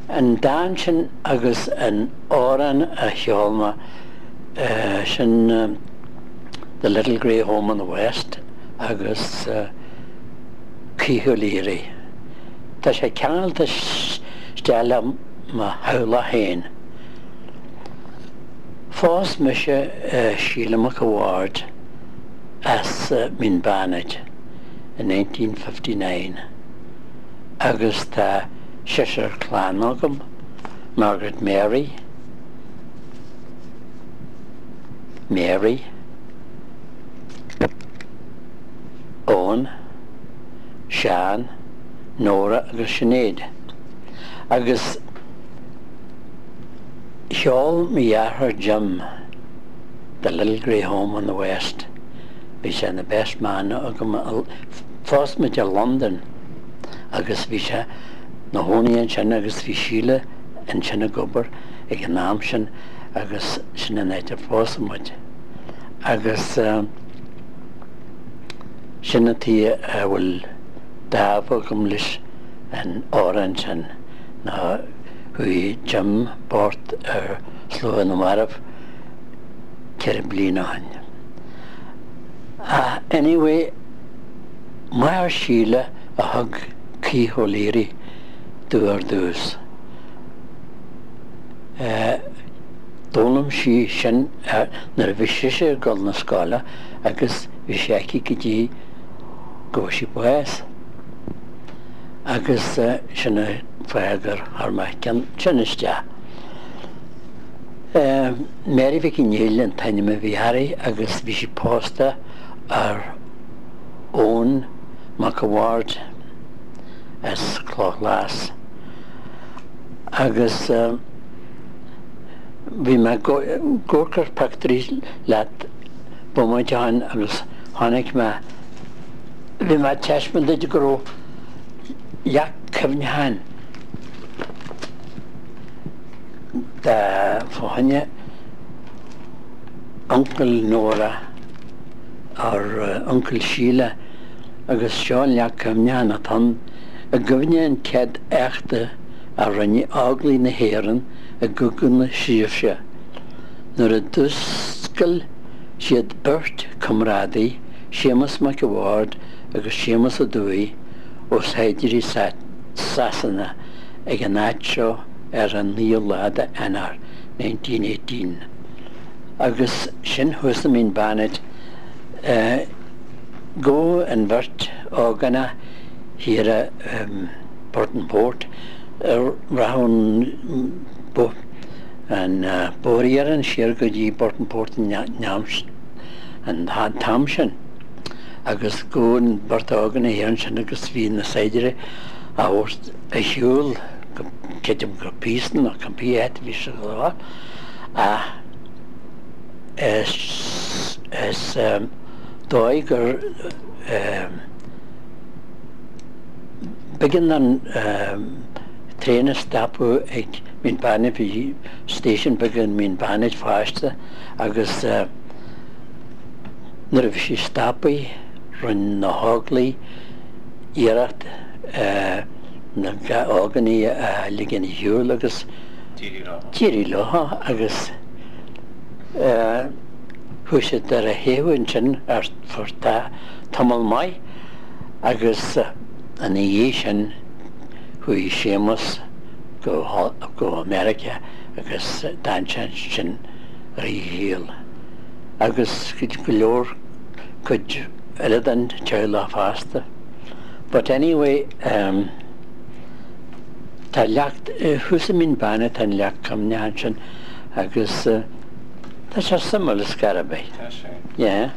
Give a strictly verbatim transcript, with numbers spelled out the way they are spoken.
An dán sin agus an amhrán a cheol mé uh, sin um, The Little Grey Home in the West agus uh, Keith O'Leary. Tá sé ceangailte isteach le mo theaghlach féin. Phós mise uh, Síle Mac a' Bhaird as uh, Mín Bannaid in nineteen fifty-nine agus tá seisear clann agam, Margaret Mary, Mary, Owen, Seán, Nóra agus Sinéad. Agus sheol mo dheartháir Jim The Little Grey Home in the West. Bhí sé ina best man agam. Phós muid i Londain agus bhí sé ina chónaí ansin agus bhí Síle ansin ag obair ag an am sin agus sin an áit ar phós muid. Agus sin an tuige a bhfuil dáimh agam leis an amhrán sin ná chuaigh Jim bocht ar shlua na marbh ceithre bliana ó shin. Uh, anyway, máthair Síle a thug Keith O'Leary domh ar dtús. Uh, D'fhoghlaim sí sin uh, nuair a bhí sise ag dul na scoile agus bhí sé aici go dtí go bhfuair sí bás. Agus uh, sin an fáth gur chuir mé ceann sin isteach. Uh, Mary Mhic Néill an t-ainm a bhí uirthi agus bhí sí pósta ar Eoin Mac a' Bhaird as Cloch Ghlas. Agus uh, bhí mé ag amharc ar pictiúirí leat bomaite ó shin agus chonaic mé bhí mé ag taispeáint duit go raibh leac cuimhneacháin de fá choinne uncail Nóra ar uncail Síle agus seo an leac cuimhneacháin atá ann i gcuimhne an chéad éachta a rinne Óglaigh na hÉireann i gCogadh na Saoirse nuair a d'fhuascail siad beirt comrádaí, Séamus Mac a' Bhaird agus Séamus Ó Dubhthaigh, ó shaighdiúirí Sasana ag an áit seo ar an naoú lá de Eanáir nineteen eighteen. Agus sin thuas i Mín Bannaid, gabhadh an bheirt ógánach thiar i Burtonport, rachadh an bóthar iarainn siar go dtí Burtonport an t-am sin. Agus gabhadh an bheirt ógánach thiar ansin agus bhí na saighdiúirí á thabhairt ar shiúl go creidim go príosún nó cibé áit a bhí siad ag dul ach is is dóigh gur b'éigean don traein a stopadh ag Mín Bannaid, bhí station beag i Mín Bannaid fosta agus nuair a bhí sí stoptha rinne na hÓglaigh iarracht na hógánaigh a ligean ar shiúl agus d'éirigh leo agus chuaigh siad ar a theitheadh ansin ar feadh tamall maith agus ina dhiaidh sin chuaigh Séamus go go Meiriceá agus d'fhan sé ansin i rith a shaoil agus go leor cuid eile den teaghlach fosta. But anyway um, tá leac thuas i Mín Bannaid tá an leac cuimhneacháin sin agus uh, tá sé suimiúil ar scor ar bith. Tá sé. Yeah.